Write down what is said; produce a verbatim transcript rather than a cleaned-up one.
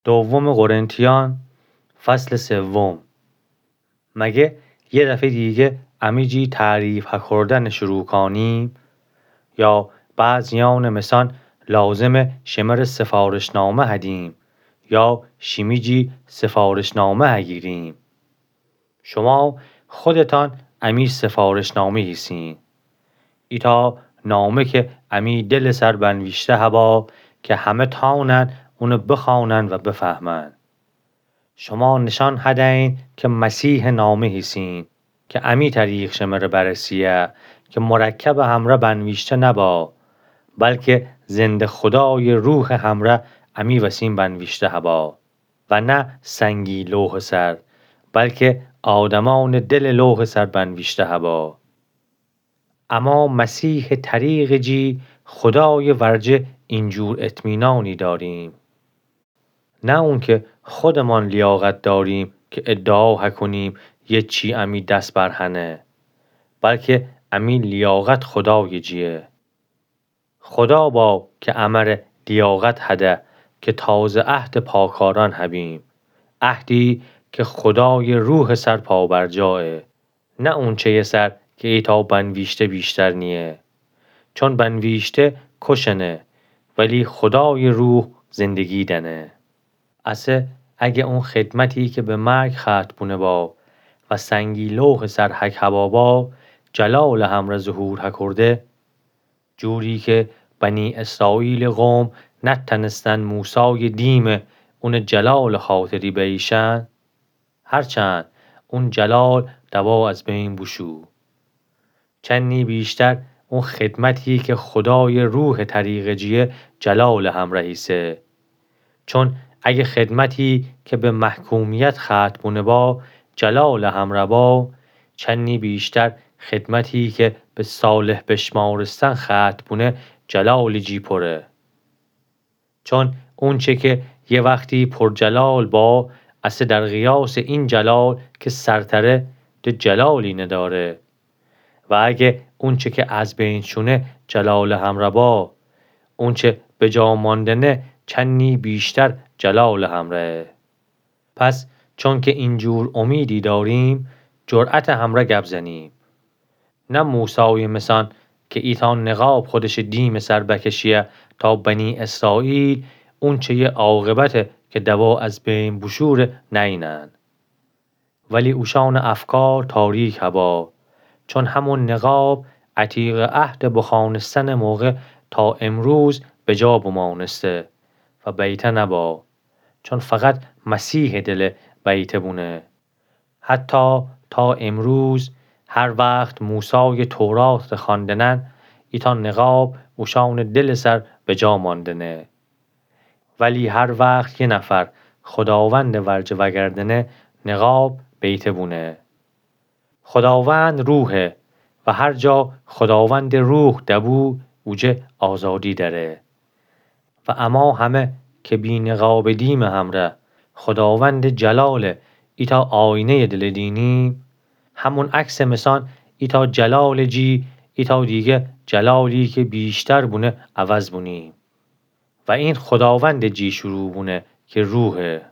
دوم قرنتیان، فصل سوم. مگه یه دفعه دیگه امی جی تعریف هکردن شروع کانیم؟ یا بعضیان مثان لازمه شمره سفارشنامه هدیم یا شیمی جی سفارشنامه هگیریم؟ شما خودتان امی سفارشنامه هیسین. ایتا نامه که امی دل سر بنویشته هبا که همه تانن اونه بخوانن و بفهمن. شما نشان هدین که مسیح نامه هیسین که امی طریق شمره برسیه که مرکب همره بنویشته نبا، بلکه زنده خدای روح همره امی وسین بنویشته هبا. و نه سنگی لوح سر، بلکه آدمان دل لوح سر بنویشته هبا. اما مسیح طریق جی خدای ورجه اینجور اطمینانی داریم. نه اون که خودمان لیاقت داریم که ادعا هکنیم یه چی امی دس بر هنه، بلکه امی لیاقت خدای جیه. خدا با که امره لیاقت هده که تازه عهد پاکاران هبیم، عهدی که خدای روح سر پابرجایه، نه اونچه‌ی سر که ایتا بنویشته بیشتر نیه. چون بنویشته کشنه، ولی خدای روح زندگی دنه. اسه اگه اون خدمتی که به مرگ ختم بونه با و سنگی لوح سر حک هبا با، جلال همره ظهور هکرده، جوری که بنی اسرائیل قوم نتنستن موسای دیم اون جلال خاطری بیشن، هرچند اون جلال دوا از بین بوشو. چنی بیشتر اون خدمتی که خدای روح طریق جیه جلال همره ایسه. چون اگه خدمتی که به محکومیت ختم بونه با جلال همره با، چنی بیشتر خدمتی که به صالح بشمارستن ختم بونه جلال جی پره. چون اونچه که یه وقتی پرجلال با، اسه در قیاس این جلال که سرتره، ده جلالی نداره. و اگه اونچه که از بین شونه جلال همره با، اونچه به جا ماندنه چنی بیشتر جلال همرهه. پس چون که اینجور امیدی داریم، جرأت همره گپ زنیم. نه موسای مثان که ایتا نقاب خودش دیم سر بکشیه تا بنی اسرائیل اونچه‌ی عاقبت که دوا از بین بوشوره نینن. ولی اوشان افکار تاریک هبا، چون همون نقاب عتیق عهد بخوانستن موقع تا امروز به جا بمانسته و بیته نبا، چون فقط مسیح دل بیته بونه. حتی تا امروز هر وقت موسای تورات خواندنن، ایتا نقاب اوشان دل سر به جا ماندنه. ولی هر وقت یه نفر خداوند ورجه وگردنه، نقاب بیته بونه. خداوند روحه و هر جا خداوند روح دبو، اوجه آزادی دره. و اما همه که بی نقاب دیم همره خداوند جلال ایتا آینه‌ی دل دینیم، همون عکس مثان ایتا جلال جی ایتا دیگه جلالی که بیشتر بونه عوض بونیم. و این خداوند جی شروع بونه که روحه.